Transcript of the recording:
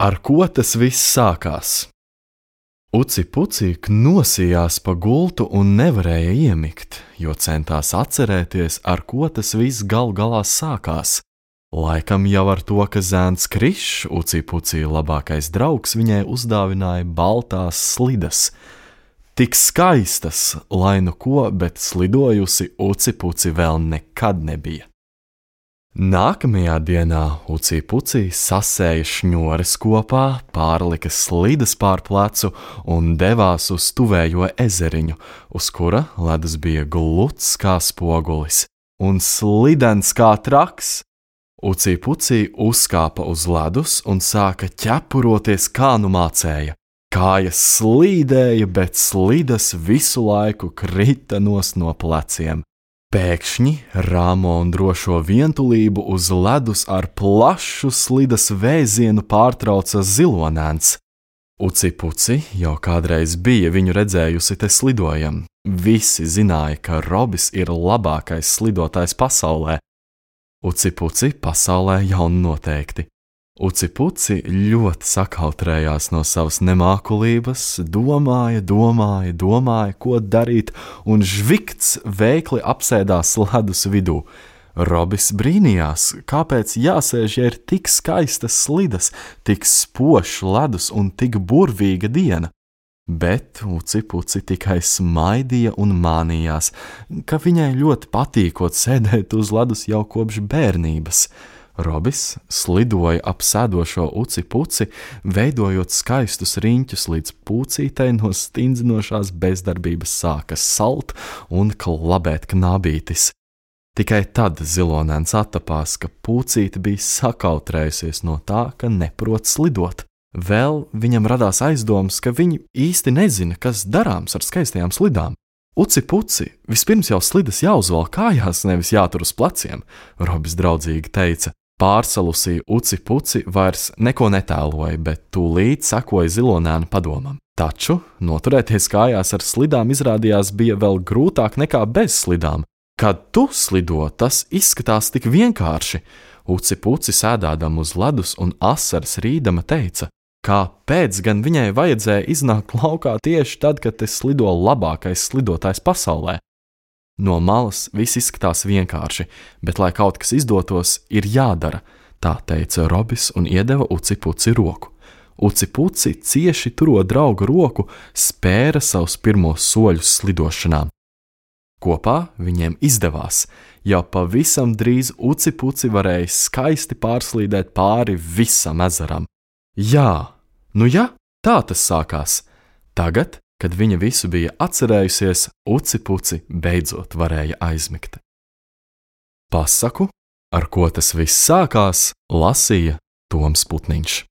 Ar ko tas viss sākās? Uci Puci nosījās pa gultu un nevarēja iemigt, jo centās atcerēties, ar ko tas viss gal galā sākās. Laikam jau ar to, ka zēns Krišs, Uci Puci labākais draugs, viņai uzdāvināja baltās slidas. Tik skaistas, lai nu ko, bet slidojusi Uci Puci vēl nekad nebija. Nākamajā dienā Uci Puci sasēja šņores kopā, pārlika slidas pār plecu un devās uz tuvējo ezeriņu, uz kura ledus bija gluds kā spogulis un slidens kā traks. Uci Puci uzkāpa uz ledus un sāka ķepuroties, kā nu mācēja. Kājas slīdēja, bet slidas visu laiku krita nos no pleciem. Pēkšņi rāmo un drošo vientulību uz ledus ar plašu slidas vēzienu pārtrauca zilonēns. Uci Puci jau kādreiz bija viņu redzējusi te slidojam. Visi zināja, ka Robis ir labākais slidotājs pasaulē. Uci Puci pasaulē jau noteikti. Uci Puci ļoti sakautrējās no savas nemākulības, domāja, ko darīt, un žvikts veikli apsēdās ledus vidū. Robis brīnījās, kāpēc jāsēž, ja ir tik skaistas slidas, tik spožs ledus un tik burvīga diena. Bet Uci Puci tikai smaidīja un mānījās, ka viņai ļoti patīkot sēdēt uz ledus jau kopš bērnības. Robis slidoja ap sēdošo Uci Puci, veidojot skaistus riņķus, līdz Pucītei no stindzinošās bezdarbības sāka salt un klabēt knābītis. Tikai tad zilonēns attapās, ka Pucīte bija sakautrējusies no tā, ka neprot slidot. Vēl viņam radās aizdomas, ka viņi īsti nezina, kas darāms ar skaistajām slidām. Uci Puci, vispirms jau slidas jāuzvelk kājās, nevis jātur uz pleciem, Robis draudzīgi teica. Pārsalusī Uci Puci vairs neko netēloja, bet tūlīt sekoja zilonēna padomam. Taču noturēties kājās ar slidām izrādījās bija vēl grūtāk nekā bez slidām. Kad tu slido, tas izskatās tik vienkārši. Uci Puci sēdādama uz ledus un asaras rīdama teica, kāpēc gan viņai vajadzēja iznākt laukā tieši tad, kad te slido labākais slidotājs pasaulē. No malas viss izskatās vienkārši, bet, lai kaut kas izdotos, ir jādara, tā teica Robis un iedeva Uci Puci roku. Uci Puci cieši turot draugu roku, spēra savus pirmos soļus slidošanā. Kopā viņiem izdevās, jau pavisam drīz Uci Puci varēja skaisti pārslīdēt pāri visam ezeram. Jā, tā tas sākās. Tagad, kad viņa visu bija atcerējusies, Uci Puci beidzot varēja aizmigt. Pasaku, ar ko tas viss sākās, lasīja Toms Putniņš.